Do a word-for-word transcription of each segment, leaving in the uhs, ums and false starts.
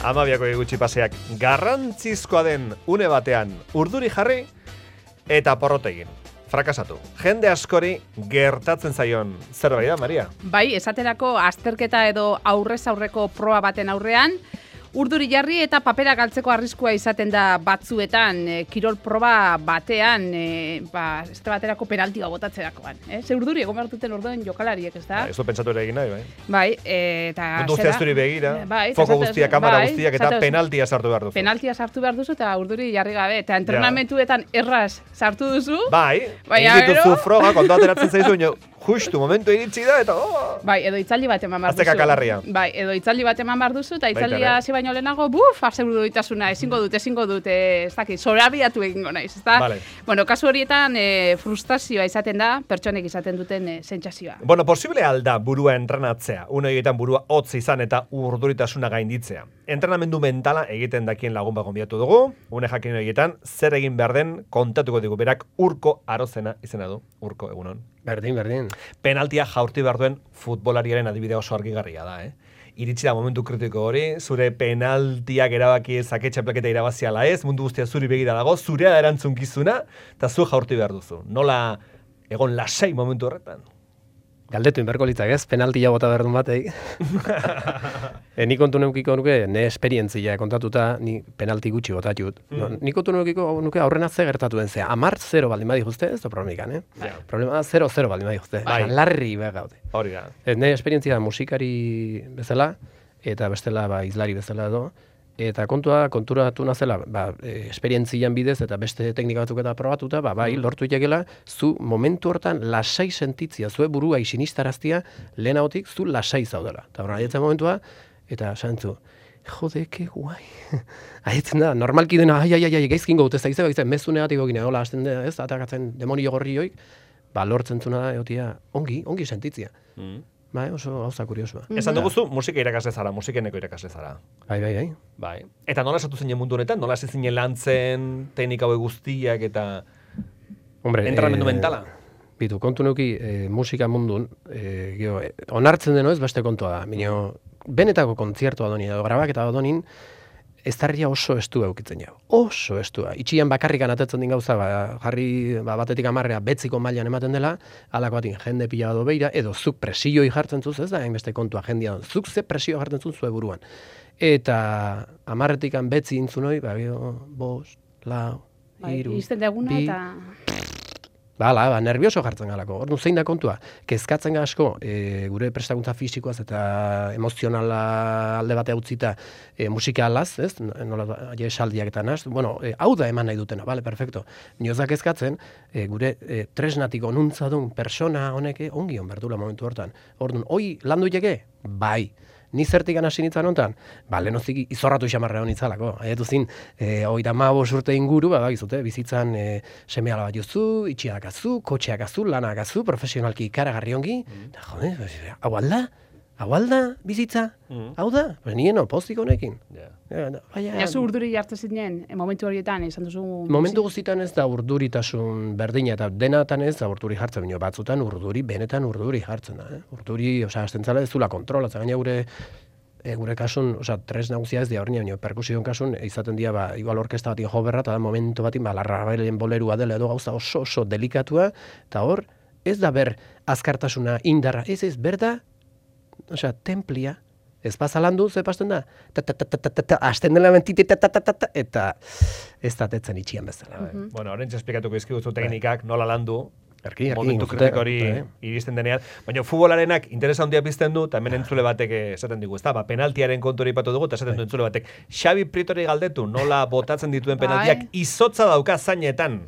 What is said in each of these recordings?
Amabiako gutxi paseak garrantzizkoa den une batean urduri jarri eta porrot egin. Frakasatu. Jende askori gertatzen zaion zerbait da, Maria? Bai, esaterako azterketa edo aurrez aurreko proba baten aurrean, urduri jarri eta papera galtzeko arriskua izaten da batzuetan, e, kirol proba batean, e, ba, ez baterako penalti bat botatzerakoan. Eh? Ze urduri egon behar duten orduan jokalariek, ez da? Ba, ez du pentsatu ere egin nahi, bai? Bai, e, eta... Mundu guztia zuri begira, bai, foko guztia, kamera bai, guztiak eta zatez, penaltia sartu behar duzu. Penaltia sartu behar duzu eta urduri jarri gabe. Eta entrenamentuetan erraz sartu duzu. Bai, baina egin dituzu froga, kontu ateratzen zaizu, ino, justu momentu iritsi da, eta... Oh. Bai, edo itzaldi bat eman behar duzu. Azteka kalarria. Bai, edo itzaldi bat eman behar duzu, eta itzaldia hasi baino lehenago, buf, asegurduitasuna, ezingo dut, ezingo dut, ez dakit, zorabiatu egingo naiz, ezta? Vale. Bueno, kasu horietan e, frustrazioa izaten da, pertsonek izaten duten e, sentsazioa. Bueno, posible alda burua entrenatzea, une egiten burua hotz izan eta urduritasuna gainditzea. Entrenamendu mentala egiten dakien lagun bat gonbidatu dugu, une jakin egiten zer egin behar den kontatuko digu, berak Urko Arozena izena du, Urko, egunon. Berdin, berdin. Penaltia jaurti behar duen futbolariaren adibide oso argigarria da, eh? Iritsi da momentu kritiko hori, zure penaltiak erabaki zake txapelketa irabaziala ez, mundu guztia zuri begira dago, zurea da erantzunkizuna, eta zu jaurti behar duzu. Nola egon lasai momentu horretan? Galdetu inberko litzak ez, penaltia bota berdun batei. e, ni kontu neukiko nuke, ne esperientzia kontatuta, ni penalti gutxi botatut. Mm. No, ni kontu neukiko nuke aurrena ze gertatu den zea. Amar zero baldin badi juzte, ez da problemikan, eh? Ja. Problema da zero zero baldin badi juzte. Bai. Larri behar gaude. Hori da. E, ne esperientzia da musikari bezala, eta bestela ba, izlari bezala edo, eta kontua konturatu nazela, ba, e, esperientzian bidez eta beste teknika batzuk eta probatuta, ba, bai, lortu jakela, zu momentu hortan lasai sentitzia, zue burua isinistaraztia lehenagotik zu lasai zaudela. Eta horren aietzen momentua, eta santzu, jode, ke guai. Aietzen da, normalki dena, ai, ai, ai, ai, gaizkin gautu, ez da gizte, mezu negatiko gine, hola, hasten da, ez, atakatzen demonio gorri hoik, ba, lortzen zuna da, egotia, ongi, ongi sentitzia. Mm. Bai, oso gauza kuriosua. Esan duguzu, musika irakasle zara, musikeneko irakasle zara. Bai, bai, bai. Bai. Eta nola esatu zinen mundu honetan? Nola hasi zinen lantzen, teknika hauek guztiak eta Hombre, entrenamendu eh, mentala? Bitu, kontu nuki eh, musika mundun, eh, gio, eh, onartzen deno ez beste kontua da. Bino, benetako kontziertua donin, edo grabaketa donin, ez tarria oso estu eukitzen jau. Oso estua. Itxian bakarrikan atetzen din gauza, ba, jarri ba, batetik amarrea betziko mailan ematen dela, alako batin jende pila do beira, edo zuk presioi jartzen zuz, ez da, hainbeste kontua jendia, zuk ze presio jartzen zuz zue buruan. Eta amarretikan betzi intzunoi, ba, bio, bost, lau, hiru, bai, izten deguna bi, eta... Bala, ba, nervioso jartzen galako. Orduan zein da kontua? Kezkatzen ga asko e, gure prestakuntza fisikoaz eta emozionala alde bate utzita e, musikalaz, ez? Nola esaldiak eta naz. Bueno, e, hau da eman nahi dutena, bale, perfecto. Nioz da kezkatzen, e, gure e, tresnatik onuntza duen persona honeke ongi on berdula momentu hortan. Orduan, hoi landu jeke? Bai. Ni zertik hasi nintzen honetan? Ba, lehenoztik izorratu xamarra honitzalako. Haietu zin, e, oita mabost urte inguru, ba, gizute, bizitzan e, seme ala bat jozu, itxiak azu, kotxeak azu, lanak azu, profesionalki ikaragarri ongi. Mm. Da, jode, hau alda? Hau alda bizitza? Mm. Hau da? Ba, nien opozik honekin. Yeah. Ja, zu urduri jartzen zinen, momentu horietan, izan duzu... Momentu guztietan ez da urduritasun berdina, eta denatan ez da urduri jartzen, bino batzutan urduri, benetan urduri jartzen da. Eh? Urduri, osea, astentzala ez zula kontrolatzen, gaina gure, e, gure kasun, osea, tres nagusia ez dia horrein, baina perkusion kasun, izaten dira, ba, igual orkesta batin jo berra, eta da momentu batin, ba, larrabailen bolerua dela edo gauza oso oso delikatua, eta hor, ez da ber azkartasuna indarra, ez ez, berda, osea, templia, ez bazalandu, ze pasten da, hasten dela mentite, eta ez da tetzen itxian bezala. Mm-hmm. Bueno, horrentz esplikatuko izkiguzu teknikak, nola landu, Erki, erki, momentu kritiko hori iristen denean. Baina futbolarenak interesa handia pizten du, eta hemen entzule batek esaten digu, ezta? Ba, penaltiaren kontu hori ipatu dugu, eta esaten du entzule batek. Xabi Prietori galdetu, nola botatzen dituen penaltiak izotza dauka zainetan.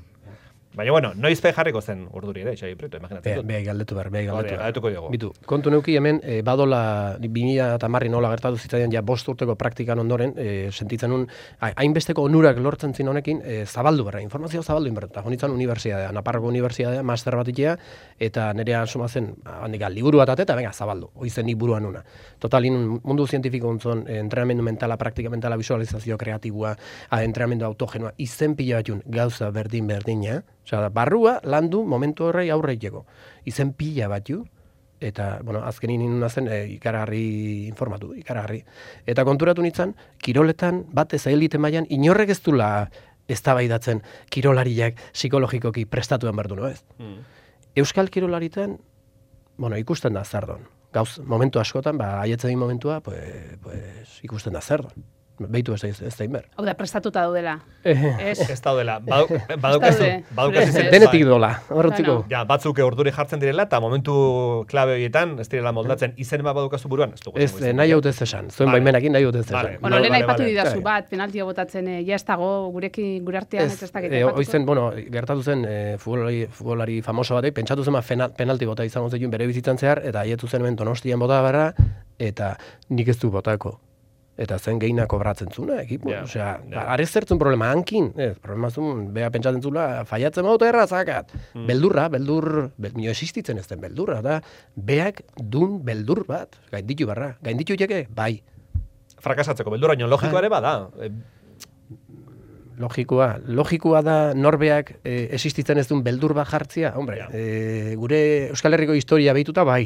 Baina, bueno, noiz pe jarriko zen urduri ere, Xabi Prieto, imaginatzen dut. Beha galdetu behar, beha galdetu behar. Galdetuko dugu. Bitu, kontu neuki hemen, e, badola, bi mila hamarri nola gertatu zitzaidan, ja bost urteko praktikan ondoren, e, sentitzen un, hainbesteko onurak lortzen zin honekin, e, zabaldu berra, informazio zabaldu inbertu. Eta honitzen unibertsiadea, Naparroko unibertsiadea, master bat itea, eta nerea suma zen, handika, liburu bat eta venga, zabaldu, hoizen nik buruan una. Total, in, mundu zientifiko ontzon, e, entrenamendu mentala, praktika mentala, visualizazio kreatibua, entrenamendu autogenoa, izen pila batun gauza berdin berdina, osea, barrua landu momentu horrei aurre iteko. Izen pila bat ju, eta, bueno, azkenin inuna zen e, ikaragarri informatu, ikaragarri. Eta konturatu nintzen, kiroletan bat ez elite mailan inorrek ez dula eztabaidatzen kirolariak psikologikoki prestatuen behar du, no ez? Mm. Euskal kirolaritan, bueno, ikusten da zardon. Gauz, momentu askotan, ba, aietzen momentua, pues, pues, ikusten da zardon. Beitu ez da, ez da inber. Hau da, prestatuta daudela. Ez ez daudela. Badaukazu. Denetik dola, horretziko. Ja, batzuk orduri jartzen direla, eta momentu klabe horietan, ez direla moldatzen, izen bat badaukazu buruan. Ez, nahi hautez esan. Zuen baimenakin nahi hautez esan. Bueno, lehen aipatu didazu bat, penaltia botatzen, ja ez dago, gurekin, gure artean, ez ez dakit. Oizen, bueno, gertatu zen, futbolari famoso batek, pentsatu zen penalti bota izango zen bere bizitzan zehar, eta haietu zen hemen Donostian bota barra, eta nik ez du botako. Eta zen gehiena kobratzen zuna, ekipo. Yeah, Osea, yeah. Are zertzen problema hankin. Ez, problema zuen, beha pentsatzen zula, faiatzen mauta erra zakat. Mm. Beldurra, beldur, bel, mio existitzen ez den beldurra, da, beak dun beldur bat, gainditu barra. Gainditu jeke, bai. Frakasatzeko, beldurra ino logikoa ere bada. Logikoa, logikoa da norbeak e, existitzen ez duen beldur bat jartzia. Hombre, yeah. e, gure Euskal Herriko historia behituta, bai.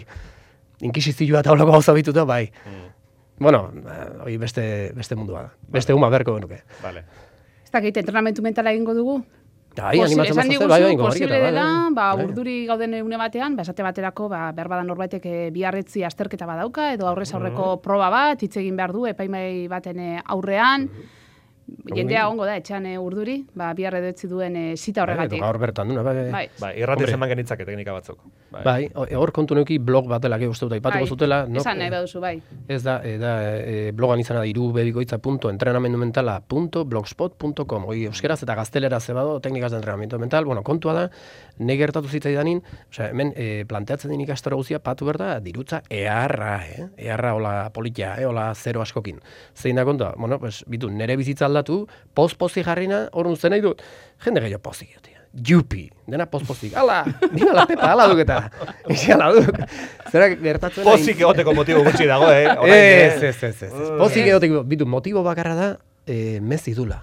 Inkisizioa eta holako gauza behituta, bai. Mm. Bueno, hori beste, beste mundua da. Beste vale. Uma berko genuke. Vale. Ez dakit, entrenamentu mentala egingo dugu? Bai, animatzen mazazte, bai, bai, posible dela, ba, urduri gauden une batean, ba, esate baterako, ba, berbada norbaitek biharretzi azterketa badauka, edo aurrez aurreko mm. proba bat, hitz egin behar du, epaimai baten aurrean, mm. jendea ongo da, etxan urduri, ba, bihar edo etzi duen e, zita horregatik. Gaur bertan duna, bai. Bai, bai irrati zeman genitzake teknika batzuk. Bai, hor kontu neuki blog batela, que uste dut, aipatuko zutela. Esan nahi baduzu, bai. Ez da, da e, blogan izana da, irubebikoitza punto entrenamendumentala punto blogspot punto com. Hoi, euskeraz eta gaztelera zebado, teknikas de entrenamiento mental. Bueno, kontua da, nahi gertatu zitzaidanin, osea, hemen e, planteatzen den ikastaro guzia, patu berda, dirutza eharra, eh? Eharra hola politia, eh? Hola zero askokin. Zein da kontua? Bueno, pues, bitu, nere bizitza aldatu, poz-pozi jarrina, hor nuzten nahi dut, jende gehiago pozik, tia. Jupi, dena poz-pozik. Ala, dina la pepa, ala duketa. Ixi, ala duk. Zera gertatzen... Pozik egoteko motibo gutxi dago, eh? Ez, ez, ez, ez. Pozik egoteko, bitu, motibo bakarra da, eh, mezi dula.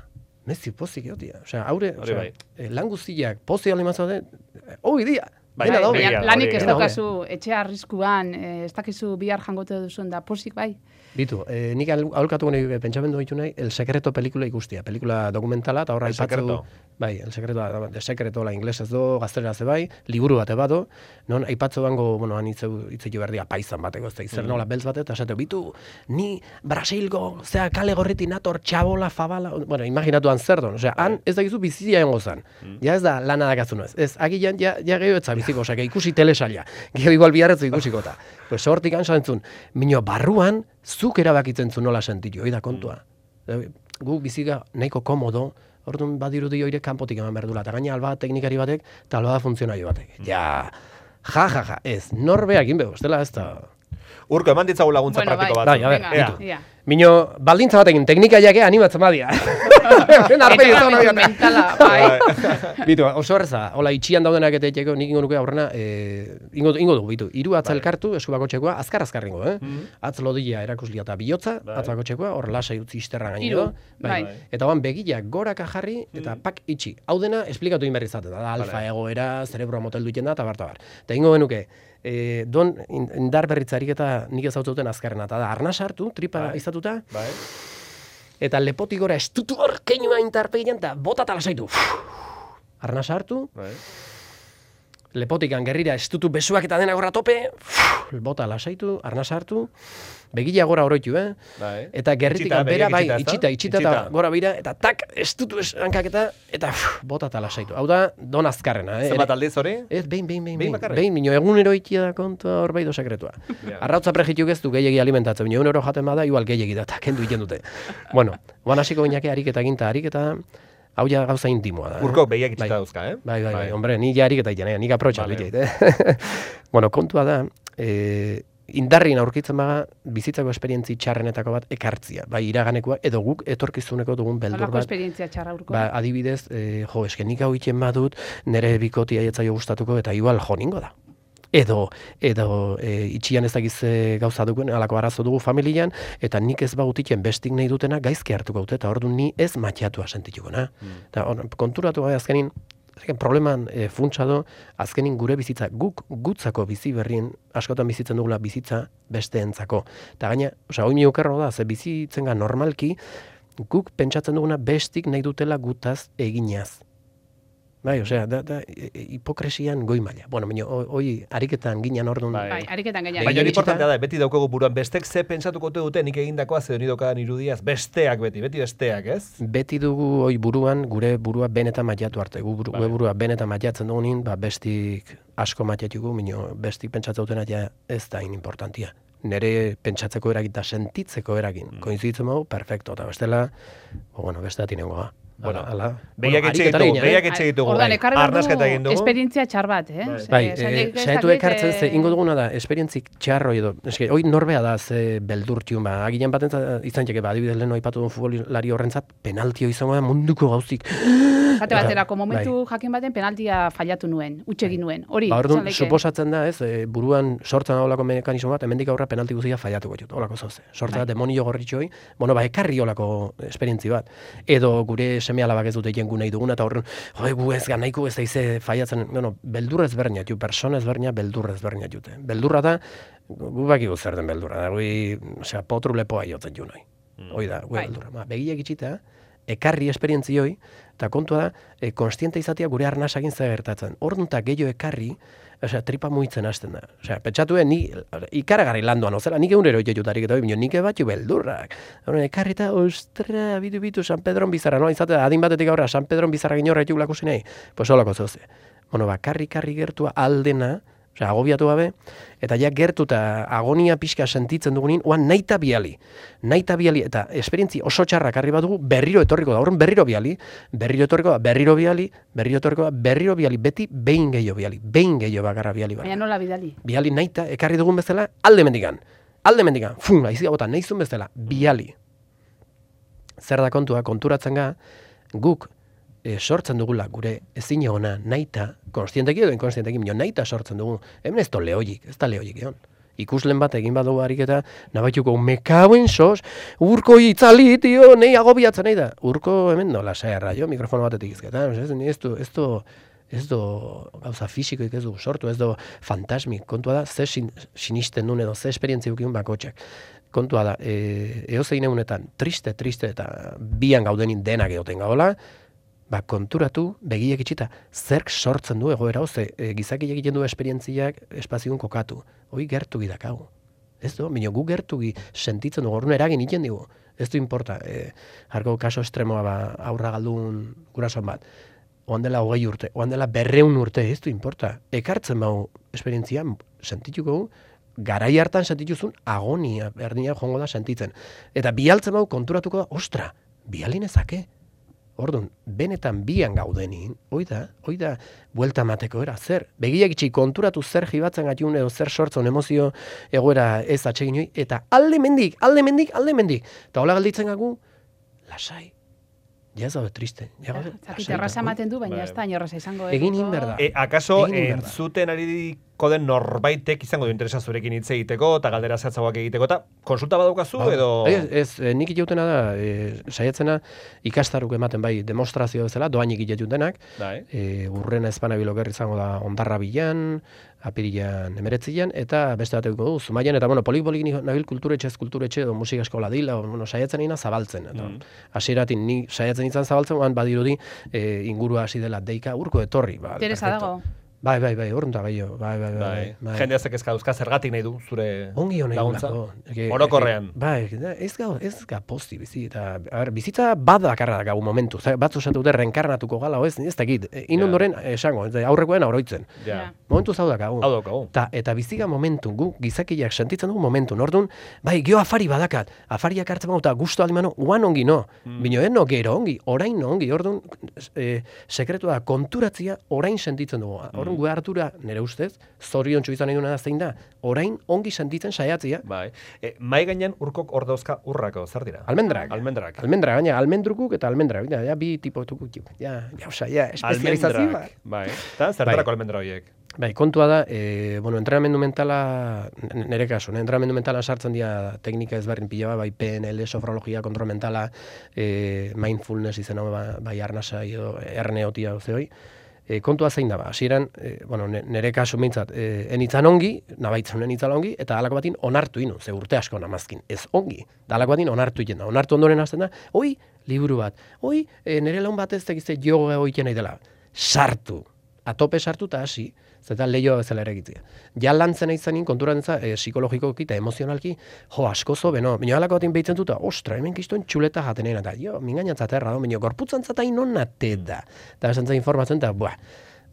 Mezi pozik egotia. Osea, haure, osea, eh, lan guztiak pozik alimazua den, hoi dia. Bai, bai, lanik ez daukazu etxe arriskuan, ez dakizu bihar jangote duzuen da pozik, bai? Bitu, eh, nik aholkatu gane pentsamendu ditu nahi, El Secreto pelikula ikustia, pelikula dokumentala, eta horra aipatzu... Bai, El Secreto, de Secreto, la inglesez do, gaztelera ze bai, liburu bate bado, non aipatzu bango, bueno, han hitzetu berdia paisan bateko, ez da, izer nola beltz bate, eta esate, bitu, ni Brasilgo, zea kale gorriti nator, txabola, fabala, bueno, imaginatuan zer don, osea, han ez dakizu bizia egongo zan, ja ez da lana dakazu ez, ez, agian, ja, ja gehiago etza biziko, osea, ikusi telesaila, gehiago igual biharretzu ikusiko eta, pues hortik ansa entzun, minio barruan, zuk erabakitzen zu nola sentitu, hori da kontua. Mm. Gu biziga nahiko komodo, orduan badirudi hori kanpotik eman behar dula, eta gaina alba teknikari batek, eta alba funtzionario batek. Mm. Ja, ja, ja, ja, ez, norbeak inbego, ez dela ez da... Urko, eman ditzagu laguntza bueno, praktiko bat. Bai, a ber, Mino, baldintza batekin, teknika jake animatzen badia. Mentala, bai. Bitu, oso horreza, hola, itxian daudenak eta etxeko, nik ingo nuke aurrena, eh, ingo, ingo dugu, bitu, iru atza elkartu, esku bako txekoa, azkar azkar ingo, eh? Mm. Atz lodila erakuslia eta bihotza, atz bako txekoa, hor lasai utzi isterra gainero. Bai. Bai. Eta oan begiak goraka jarri, eta mm. pak itxi. Hau dena, esplikatu inberri zaten, da, alfa vale. Egoera, zerebroa motel duiten da, eta barta bar. Eta ingo benuke, E, don indar berritzarik eta nik ez hautzuten azkarrena, eta da, arnaz hartu, tripa bai. Izatuta, bai. Eta lepotik gora estutu hor keinua intarpegian, eta bota talasaitu. Arnaz hartu, bai. Lepotikan gerrira estutu besuak eta dena gorra tope, bota lasaitu, arnaz hartu, begila gora oroitu, eh? Bai. Eta gerritikan bera, bai, itxita, itxita eta gora bira, eta tak, estutu hankak eta, eta bota eta lasaitu. Hau da, don azkarrena, eh? Zenbat aldiz hori? Ez, behin, behin, behin, behin, behin, minio egunero ikia da kontua hor baido sekretua. Yeah. Arrautza prejitu geztu gehiagi alimentatzen, minio egunero jaten bada, igual gehiagi da, eta kendu iten dute. Bueno, guan hasiko binake ariketa ginta, ariketa, hau ja gauza intimoa da. Urko behiak itxita dauzka, eh? Bai, bai, bai, hombre, ni ja ariketa iten, nik aprotxa vale. Dut, eh? Bueno, kontua da, eh, indarrin aurkitzen baga, bizitzako esperientzi txarrenetako bat ekartzia. Bai, iraganekoa, edo guk etorkizuneko dugun beldur bat. Halako esperientzia txarra urko. Ba, adibidez, eh, jo, eskenik hau itxen badut, nire bikotia etzaio gustatuko, eta igual jo ningo da. Edo, edo e, itxian ez dakiz gauza dugun, alako arazo dugu familian, eta nik ez bagutiken bestik nahi dutena gaizki hartuko dute, eta ordu ni ez matxatua sentituko, na? Mm. Eta or, konturatu gai azkenin, probleman e, funtsa do, azkenin gure bizitza, guk gutzako bizi berrien, askotan bizitzen dugula bizitza besteentzako. Eta gaina, osea, hoi mi okerro da, ze bizitzenga normalki, guk pentsatzen duguna bestik nahi dutela gutaz eginaz. Bai, osea, da, da, hipokresian goi maila. Bueno, baina, hoi, ariketan ginean orduan. Bai, ariketan ginean. Baina importantea da, beti daukagu buruan, bestek ze pentsatuko dute nik egindakoa ze honi dokadan irudiaz, besteak beti, beti besteak, ez? Beti dugu hoi buruan, gure burua benetan mailatu arte. Gu buru, gure burua benetan mailatzen dugunin, ba, bestik asko mailatugu, baina bestik pentsatzen dutena ja ez da in importantia. Nere pentsatzeko eragin eta sentitzeko eragin. Mm. Koinzitzen dugu, perfecto, eta bestela, bueno, beste atinengoa. Bueno, ala, behiak etxe ditugu, behiak etxe ditugu, bai. Arnasketa egin dugu. Esperientzia txar bat, eh? Bai, saiatu ekartzen ze, ingo duguna da, esperientzik txarro edo, eske, hoi norbea da ze beldurtiun, ba, agilean baten izan txeke, ba, adibidez lehen oipatu duen futbolari horrentzat, penaltio izango da munduko gauzik. Jate baterako, momentu bai. Jakin baten penaltia fallatu nuen, utxegin nuen, hori. Ba, orduan, suposatzen da, ez, e, buruan sortzen olako mekanismo bat, hemendik aurra penalti guztia fallatuko ditut, olako zoze. Sortzen da, bai. Demonio gorritxoi, bueno, ba, ekarri olako esperientzi bat. Edo gure seme alabak ez dute jengu nahi duguna, eta horren, jode, gu ez ganaiko ez daize faiatzen, bueno, beldurra ezberdina ju, persona ezberdina beldurra ezberdina jute. Beldurra da, gu bakigu zer den beldurra, da, gui, osea, potru lepoa jotzen ju nahi. Mm. Hoi da, gu beldurra. Ma, begiak itxita, ekarri esperientzioi, eta kontua da, e, konstiente izatea gure arnasakin zer gertatzen. Orduan eta gehiago ekarri, osea, tripa muitzen hasten da. Osea, pentsatuen, ni ikaragarri landuan, ozera, nik egunero itxetutarik eta hori, nik batxu beldurrak. Horren, ekarri eta, ostra, bitu-bitu, San Pedron bizarra, no? Izatea, adin batetik aurra, San Pedron bizarra ginorra etxuk lakusi nahi. Pues holako zoze. Bueno, ba, karri-karri gertua aldena, osea, agobiatu gabe, eta ja gertu eta agonia pixka sentitzen dugunin, oan naita biali. Naita biali, eta esperientzi oso txarrak arri bat dugu, berriro etorriko da, horren berriro biali, berriro etorriko da, berriro biali, berriro etorriko da, berriro biali, beti behin gehiago biali, behin gehiago bakarra biali. Baina nola bidali? Biali naita, ekarri dugun bezala, alde mendikan, alde mendikan, fun, aizik agotan, nahizun bezala, biali. Zer da kontua, konturatzen ga, guk, E, sortzen dugula gure ezin egona naita, konstienteki edo inkonstienteki, minio naita sortzen dugu. Hemen ez da lehoik, ez da lehoik egon. Ikuslen bat egin badugu ariketa, nabaituko, mekauen sos, urko itzali, tio, nahi agobiatzen nahi da. Urko hemen nola saerra, jo, mikrofono batetik izketan, ez, ez du, ez du, ez du gauza fisikoik ez du sortu, ez du fantasmik, kontua da, ze sin, sinisten duen edo, ze esperientziukin bakotxak. Kontua da, e, eozein egunetan, triste, triste, eta bian gaudenin denak egoten gaola, ba, konturatu, begiek itxita, zerk sortzen du egoera, oze, e, gizaki egiten du esperientziak espazioan kokatu. Hoi gertu gidakagu. Ez du, minio gu gertu gi sentitzen dugu, orduan eragin iten dugu. Ez du importa, e, harko kaso estremoa ba, aurra galdun gurasoan bat. Oan dela hogei urte, oan dela berreun urte, ez du importa. Ekartzen bau esperientzia, sentituko garai hartan sentituzun agonia, berdina joango da sentitzen. Eta bialtzen bau konturatuko da, ostra, bialinezake. Orduan, benetan bian gaudenin, hoi da, hoi da, buelta mateko era, zer, begiak itxi konturatu zer jibatzen gatiun edo zer sortzen emozio egoera ez atsegin hoi, eta alde mendik, alde mendik, alde mendik. Eta hola galditzen gagu, lasai. Ja ez daude triste. Ja, ja, Zakit, erraza ematen du, baina ez da, inorraza izango. Egin inberda. E, akaso, entzuten ari den norbaitek izango du interesa zurekin hitz egiteko, eta galdera zehatzagoak egiteko, eta konsulta badaukazu, ba, edo... Ez, ez nik iteutena da, e, saiatzena ikastaruk ematen bai demonstrazio bezala, doainik itetutenak, e, urrena ezpana bilokerri izango da ondarra bilan, apirilan emeretzian, eta beste bat egiko du, zumaian, eta bueno, polik-polik nabil kulturetxe, ez kulturetxe, edo musika eskola dila, bueno, saiatzen ina zabaltzen. Hasieratin mm. ni saiatzen izan zabaltzen, oan badirudi e, ingurua hasi dela deika urko etorri. Ba, Teresa dago. Bai, bai, bai, horren da gehiago. Bai, bai, bai. bai, bai. Jende azek ezka dauzka zergatik nahi du, zure ongi laguntza? Ongi orokorrean. Bai, ez gau, ez ga posti bizi. Eta, a ber, bizitza badakarra da gau momentu. Batzu esatu dute reenkarnatuko gala, ez, ez dakit. Inondoren esango, aurrekoen aurroitzen. Ja. Momentu zau dakagu. Hau daukagu. Ta, eta biziga momentu, gu gizakiak sentitzen dugu momentu. Nordun, bai, gio afari badakat. Afariak hartzen bauta gustu alimano, uan ongi no. Mm. Bino, eno gero ongi, orain no ongi. Ordun, e, sekretu da, konturatzia orain sentitzen dugu. Orduan, mm. gu hartura, nere ustez, zoriontsu izan nahi duna da zein da, orain ongi sentitzen saiatzia. Bai. E, mai gainean urkok hor dauzka urrako, zer dira? Almendrak. Almendrak. Almendra, gaina, almendrukuk eta almendra. Ja, ja bi tipo tukuk. Ja, ja, osa, ja, espezializazioa. Bai. Eta zertarako bai. Almendra horiek? Bai, kontua da, e, bueno, entrenamendu mentala, nere kasu, entrenamendu mentala sartzen dira teknika ezberdin pila bai P N L, sofrologia, kontrol mentala, e, mindfulness izan hau, bai arnasa, edo R N O tia, hoi. E, kontua zein da, ba, hasieran, e, bueno, nere kasu mintzat, e, enitzan ongi, nabaitzen enitzan ongi, eta halako batin onartu inu, ze urte asko namazkin, ez ongi, da halako batin onartu iten da, onartu ondoren hasten da, oi, liburu bat, oi, e, nere laun bat ez tekizte yoga hoiten nahi dela, sartu, atope sartu eta hasi, zeta lehioa bezala ere egitzea. Ja lantzen aizanin, konturan za, e, psikologikoki eta emozionalki, jo, askozo, beno, minio halako batin behitzen duta, ostra, hemen kistuen txuleta jatenena, eta jo, mingainatzat erra, minio, gorputzantzat hain onate da, eta esantza informatzen, eta, buah,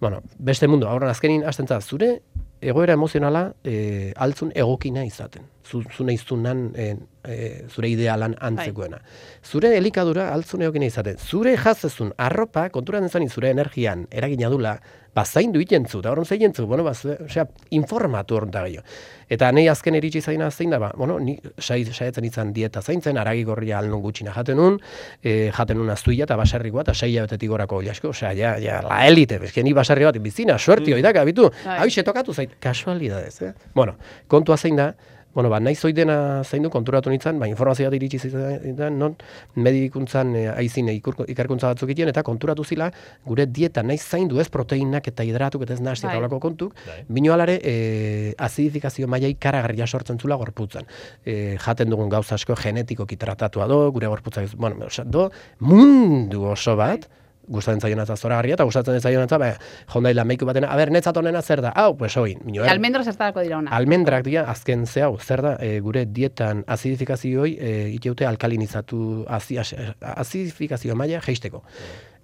bueno, beste mundu, aurran azkenin hastentza zure egoera emozionala e, altzun egokina izaten. Zu, zu nahizunan e, e, zure idealan antzekoena. Zure elikadura altzun egokina izaten. Zure jazezun arropa, konturan dezanin zure energian eragina dula, bazaindu itentzu, eta horren zeintzu, bueno, baz, osea, informatu horren da gehiago. Eta nahi azken iritsi zaina zein da, ba, bueno, ni saietzen izan dieta zaintzen, aragi gorria alnun gutxina jaten nun, e, jaten nun aztuia eta baserrikoa, eta seia betetik gorako ilasko, osea, ja, ja, la elite, bezke ni baserri bat bizina, suerti hori daka, bitu, hau tokatu zait, kasualidadez, eh? Bueno, kontua zein da, bueno, ba, nahi zoidena zein du konturatu nintzen, ba, informazioa iritsi zaitan, non, medikuntzan e, aizin ikerkuntza batzuk egiten, eta konturatu zila, gure dieta nahi zaindu ez proteinak eta hidratuk eta ez nahazti eta olako kontuk, bino alare, e, azidifikazio mailai karagarria sortzen zula gorputzan. E, jaten dugun gauza asko genetikoki tratatua do, gure gorputzak, bueno, do, mundu oso bat, gustatzen zaionatza zoragarria, eta gustatzen zaionatza, ba, jondaila meiku batena, a ber, netzat honena zer da, hau, pues hoi. E, almendra zertarako dira ona. Almendrak dira, azken ze hau, zer da, e, gure dietan azidifikaziooi, e, iteute alkalinizatu, azi, azidifikazio maila jeisteko.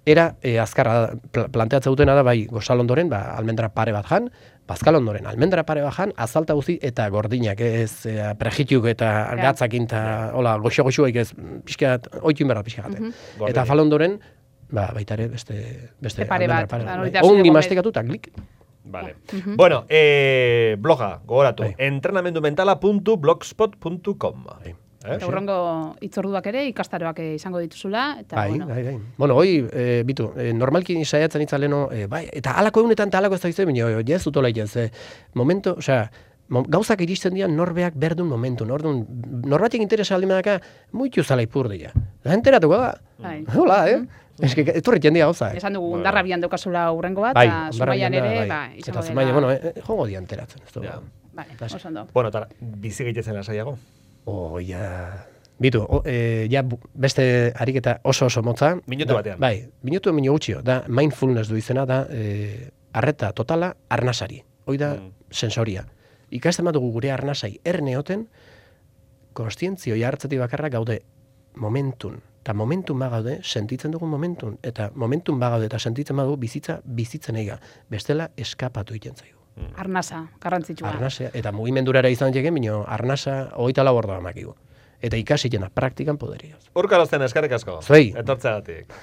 Era, e, azkarra, pl planteatza dutena da, bai, gozal ondoren, ba, almendra pare bat jan, bazkal ondoren, almendra pare bat jan, azalta guzi eta gordinak, ez, e, prejituk eta gatzakin, eta, hola, goxo-goxuaik ez, pixkat, oitun berda pixkat. Mm -hmm. Eta fal ondoren, ba, baita ere, beste... beste pare bat. Ongi mastekatu eta klik. Vale. Uh -huh. Bueno, eh, bloga, gogoratu, bai. entrenamendumentala puntu blogspot puntu com. Bai. Eh? Eurrengo itzorduak ere, ikastaroak izango dituzula. Eta, bai, bueno. bai, bai. Bueno, hoi, e, bitu, e, normalki saiatzen itzaleno, e, bai, eta halako egunetan eta halako ez da izan, bineo, jaz utola itez, e, momento, osea, gauzak iristen dira norbeak berdun momentu, nordun, norbatik interesa aldi medaka, muitu zala ipurdia. Da enteratuko da. Bai. Hola, eh? Ez que etorri jendia gauza. Esan dugu, ondarra bian daukazula urrengo bat, bai, eta Zumaian ere, ba, izango dela. Eta bueno, eh, jongo dia enteratzen. Ez ja. Bai, oso ondo. Bueno, eta bizi gaitezen lasaiago. Oh, ja... Bitu, o, e, ja beste ariketa oso oso motza. Minutu batean. Bai, minutu emino gutxio. Da, mindfulness du izena, da, e, arreta totala arnasari. Hoi da, mm. sensoria. Ikasten badugu gure arnasai erneoten, konstientzio jartzetik bakarra gaude momentun. Eta momentun bagaude, sentitzen dugun momentun. Eta momentun bagaude eta sentitzen badugu bizitza bizitzen eiga. Bestela eskapatu egiten zaigu. Arnasa, garrantzitsua. Arnasa, eta mugimendurara izan jegen, bino arnasa hogeita lau ordu amakigu. Eta ikasi jena praktikan poderioz. Urkarazten eskerrik asko. Zuei. Etortzeagatik.